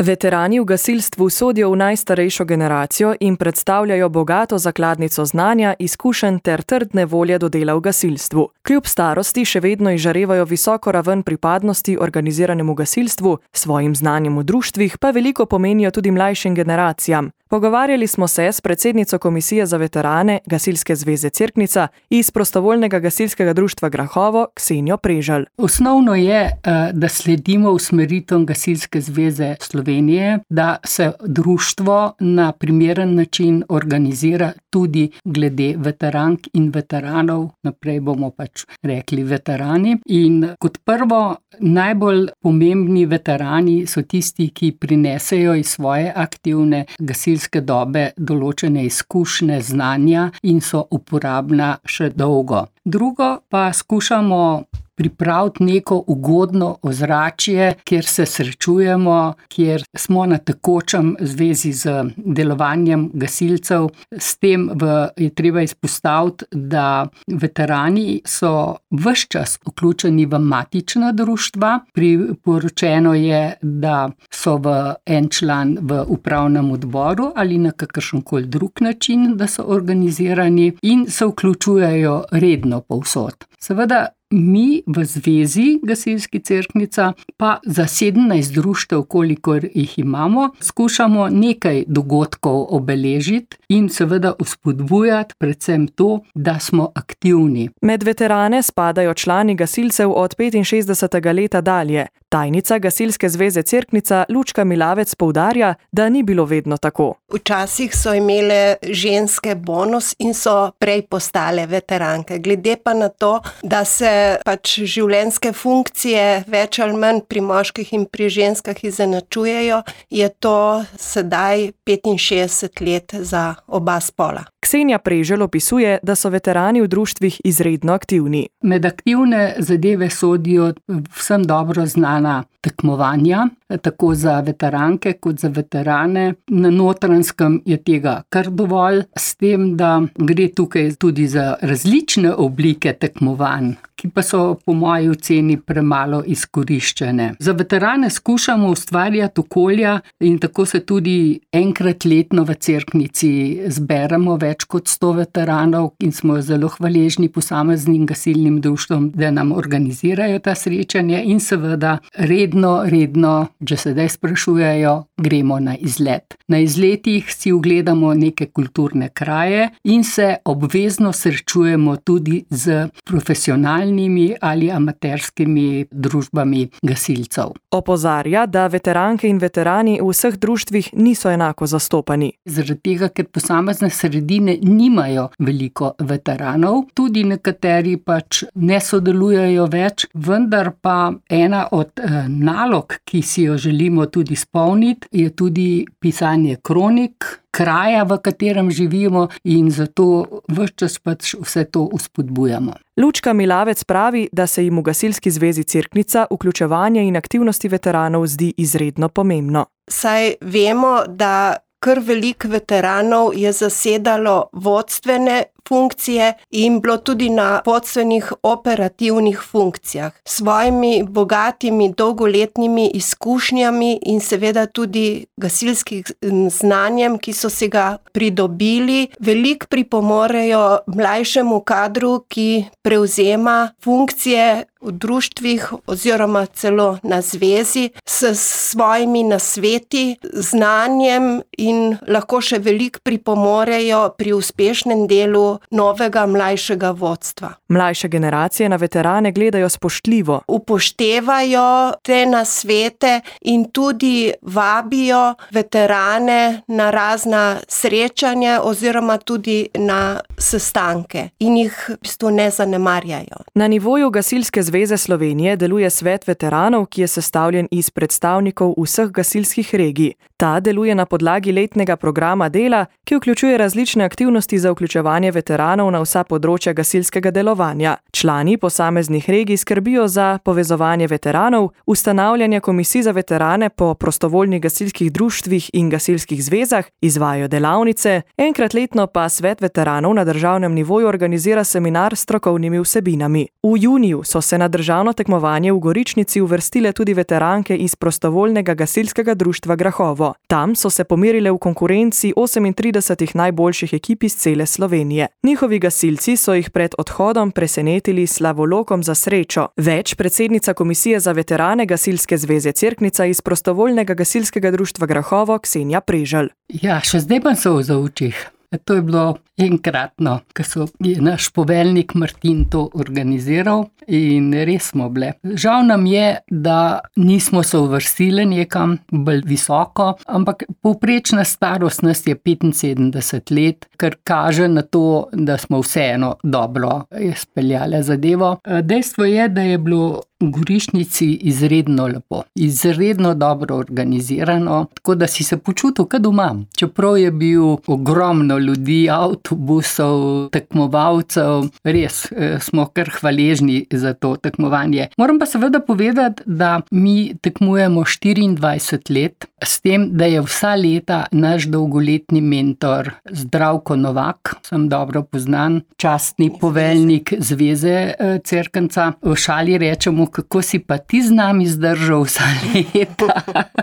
Veterani v gasilstvu sodijo v najstarejšo generacijo in predstavljajo bogato zakladnico znanja, izkušenj ter trdne volje do dela v gasilstvu. Kljub starosti še vedno izžarevajo visoko raven pripadnosti organiziranemu gasilstvu, svojim znanjem v društvih pa veliko pomenijo tudi mlajšim generacijam. Pogovarjali smo se s predsednico Komisije za veterane Gasilske zveze Cerknica iz Prostovoljnega gasilskega društva Grahovo, Ksenijo Preželj. Osnovno je, da sledimo usmeritvam Gasilske zveze Slovenije, da se društvo na primeren način organizira tudi glede veterank in veteranov, naprej bomo pač rekli veterani. In kot prvo, najbolj pomembni veterani so tisti, ki prinesejo iz svoje aktivne gasilske dobe določene izkušnje, znanja in so uporabna še dolgo. Drugo pa skušamo pripraviti neko ugodno ozračje, kjer se srečujemo, kjer smo na tekočem zvezi z delovanjem gasilcev. S tem je treba izpostaviti, da veterani so ves čas vključeni v matična društva. Priporočeno je, da so en član v upravnem odboru ali na kakršenkoli drug način, da so organizirani in se vključujejo redno povsod. Seveda, mi v zvezi Gasilski Cerknica pa za 17 društev, kolikor jih imamo, skušamo nekaj dogodkov obeležiti in seveda vzpodbujati predvsem to, da smo aktivni. Med veterane spadajo člani gasilcev od 65. leta dalje. Tajnica Gasilske zveze Cerknica Lučka Milavec poudarja, da ni bilo vedno tako. Včasih so imele ženske bonus in so prej postale veteranke. Glede pa na to, da se pač življenjske funkcije več ali manj pri moških in pri ženskah izenačujejo, je to sedaj 65 let za oba spola. Ksenija Preželj opisuje, da so veterani v društvih izredno aktivni. Med aktivne zadeve sodijo vsem dobro znana tekmovanja, tako za veteranke kot za veterane. Na Notranjskem je tega kar dovolj, s tem, da gre tukaj tudi za različne oblike tekmovanj, ki pa so po moji oceni premalo izkoriščene. Za veterane skušamo ustvarjati okolja in tako se tudi enkrat letno v Cerknici zberemo več kot 100 veteranov in smo zelo hvaležni posameznim gasilnim društvom, da nam organizirajo ta srečanja in seveda redno, že sedaj sprašujejo, gremo na izlet. Na izletih si ogledamo neke kulturne kraje in se obvezno srečujemo tudi z profesionalnimi ali amaterskimi družbami gasilcev. Opozarja, da veteranke in veterani v vseh društvih niso enako zastopani. Zaradi tega, ker posamezne sredine nimajo veliko veteranov, tudi nekateri pač ne sodelujejo več, vendar pa ena od nalog, ki si jo želimo tudi izpolniti, je tudi pisanje kronik kraja, v katerem živimo in zato ves čas pač vse to vzpodbujamo. Lučka Milavec pravi, da se jim v Gasilski zvezi Cerknica vključevanje in aktivnosti veteranov zdi izredno pomembno. Saj vemo, da kar veliko veteranov je zasedalo vodstvene funkcije in bilo tudi na vodstvenih operativnih funkcijah. S svojimi bogatimi dolgoletnimi izkušnjami in seveda tudi gasilskim znanjem, ki so si ga pridobili, veliko pripomorejo mlajšemu kadru, ki prevzema funkcije v društvih oziroma celo na zvezi s svojimi nasveti, znanjem in lahko še veliko pripomorejo pri uspešnem delu novega mlajšega vodstva. Mlajše generacije na veterane gledajo spoštljivo. Upoštevajo te nasvete in tudi vabijo veterane na razna srečanja oziroma tudi na sestanke in jih v bistvu ne zanemarjajo. Na nivoju Gasilske zveze Slovenije deluje svet veteranov, ki je sestavljen iz predstavnikov vseh gasilskih regij. Ta deluje na podlagi letnega programa dela, ki vključuje različne aktivnosti za vključevanje veteranov veteranov na vsa področja gasilskega delovanja. Člani posameznih regij skrbijo za povezovanje veteranov, ustanavljanje komisij za veterane po prostovoljnih gasilskih društvih in gasilskih zvezah, izvajajo delavnice, enkrat letno pa Svet veteranov na državnem nivoju organizira seminar s strokovnimi vsebinami. V juniju so se na državno tekmovanje v Goričnici uvrstile tudi veteranke iz prostovoljnega gasilskega društva Grahovo. Tam so se pomerile v konkurenci 38 najboljših ekip iz cele Slovenije. Njihovi gasilci so jih pred odhodom presenetili s slavolokom za srečo. Več predsednica Komisije za veterane Gasilske zveze Cerknica iz prostovoljnega gasilskega društva Grahovo Ksenija Preželj. Ja, še zdaj pa so v očih. To je bilo enkratno, ko je naš poveljnik Martin to organiziral in res smo bile. Žal nam je, da nismo se uvrstili nekam bolj visoko, ampak povprečna starost nas je 75 let, kar kaže na to, da smo vseeno dobro speljali zadevo. Dejstvo je, da je bilo v Goričnici izredno lepo, izredno dobro organizirano, tako da si se počutil kot doma. Čeprav je bil ogromno ljudi, avtobusov, tekmovalcev, res smo kar hvaležni za to tekmovanje. Moram pa seveda povedati, da mi tekmujemo 24 let, s tem, da je vsa leta naš dolgoletni mentor Zdravko Novak, sem dobro poznan, častni poveljnik Zveze Cerknica. V šali rečemo, kako si pa ti z nami zdržal vsa leta,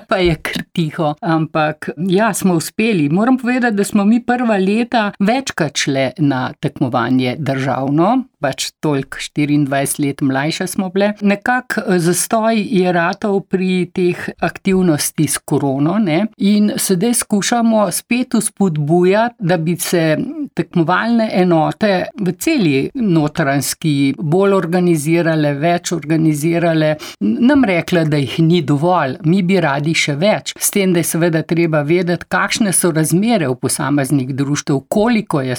pa je kar tiho. Ampak ja, smo uspeli. Moram povedati, da smo mi prva leta večkrat šle na tekmovanje državno, pač toliko 24 let mlajše smo bile. Nekako zastoj je ratal pri teh aktivnosti s korono, ne? In sedaj skušamo spet vzpodbujati, da bi se tekmovalne enote v celi Notranjski bolj organizirale, več organizirale. Nam rekla, da jih ni dovolj, mi bi radi še več. S tem, da je seveda treba vedeti, kakšne so razmere v posameznih društev, koliko je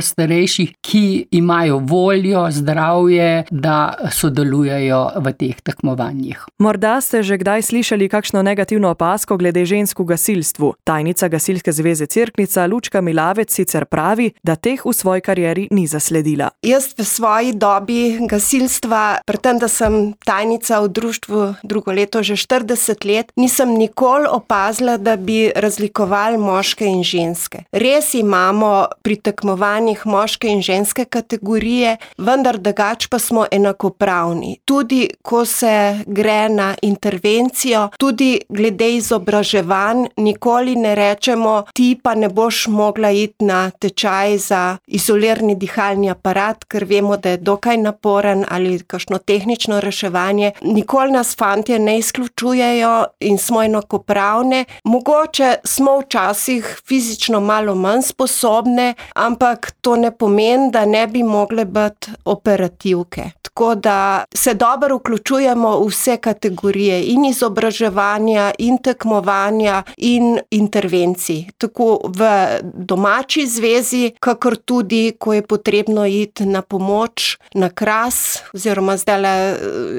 starejših, ki imajo voljo, zdravje, da sodelujejo v teh tekmovanjih. Morda ste že kdaj slišali kakšno negativno opazko glede žensk v gasilstvu. Tajnica Gasilske zveze Cerknica Lučka Milavec sicer pravi, da teh v svoji karieri ni zasledila. Jaz v svoji dobi gasilstva, predtem, da sem tajnica v društvu drugo leto že 40 let, nisem nikoli opazila, da bi razlikovali moške in ženske. Res imamo pri tekmovanjih moške in ženske kategorije, vendar drugače pa smo enakopravni. Tudi ko se gre na intervencijo, tudi glede izobraževanj, nikoli ne rečemo, ti pa ne boš mogla iti na tečaj za izolirni dihalni aparat, ker vemo, da je dokaj naporen, ali kakšno tehnično reševanje. Nikoli nas fantje ne izključujejo in smo enakopravne. Mogoče smo včasih fizično malo manj sposobne, ampak to ne pomeni, da ne bi mogle biti operativke. Tako da se dobro vključujemo v vse kategorije in izobraževanja, in tekmovanja, in intervencij. Tako v domači zvezi, kakor tudi, ko je potrebno iti na pomoč na Kras, oziroma zdaj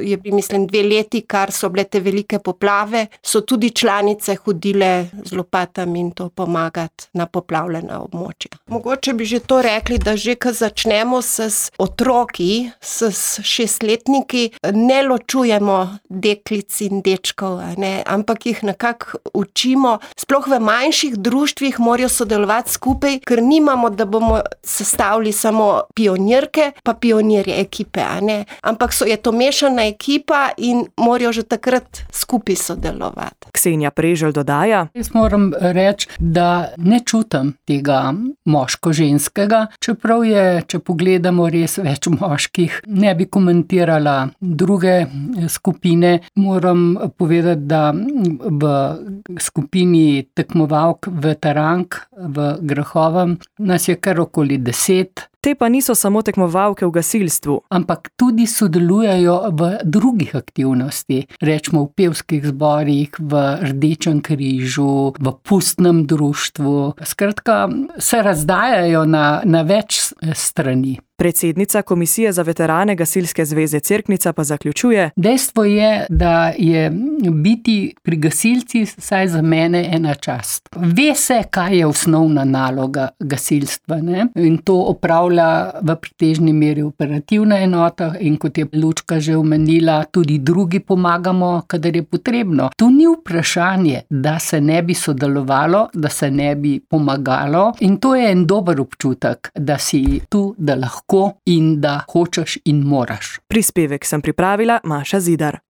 je, mislim, 2 leti, kar so bile te velike poplave, so tudi članice hodile z lopatami in to pomagati na poplavljena območja. Mogoče bi že to rekli, da že ko začnemo s otroki, s 6-letniki, ne ločujemo deklic in dečkov, ne, ampak jih nekako učimo. Sploh v manjših društvih morajo sodelovati skupaj, ker nimamo, da bomo sestavili samo pionirke pa pionirje ekipe, ne, ampak je to mešana ekipa in morajo že takrat skupaj sodelovati. Ksenija Preželj dodaja: Jaz moram reči, da ne čutim tega moško-ženskega, čeprav je, če pogledamo, res več moških. Ne bi komentirala druge skupine. Moram povedati, da v skupini tekmovalk veterank v Grahovem nas je kar okoli 10. Te pa niso samo tekmovalke v gasilstvu, ampak tudi sodelujejo v drugih aktivnosti, rečemo v pevskih zborih, v Rdečem križu, v pustnem društvu. Skratka, se razdajajo na več strani. Predsednica Komisije za veterane Gasilske zveze Cerknica pa zaključuje: Dejstvo je, da je biti pri gasilcih vsaj za mene ena čast. Ve se, kaj je osnovna naloga gasilstva, ne? In to opravlja v pretežni meri operativna enota in kot je Lučka že omenila, tudi drugi pomagamo, kadar je potrebno. Tu ni vprašanje, da se ne bi sodelovalo, da se ne bi pomagalo in to je en dober občutek, da si tu, da lahko in da hočeš in moraš. Prispevek sem pripravila Maša Zidar.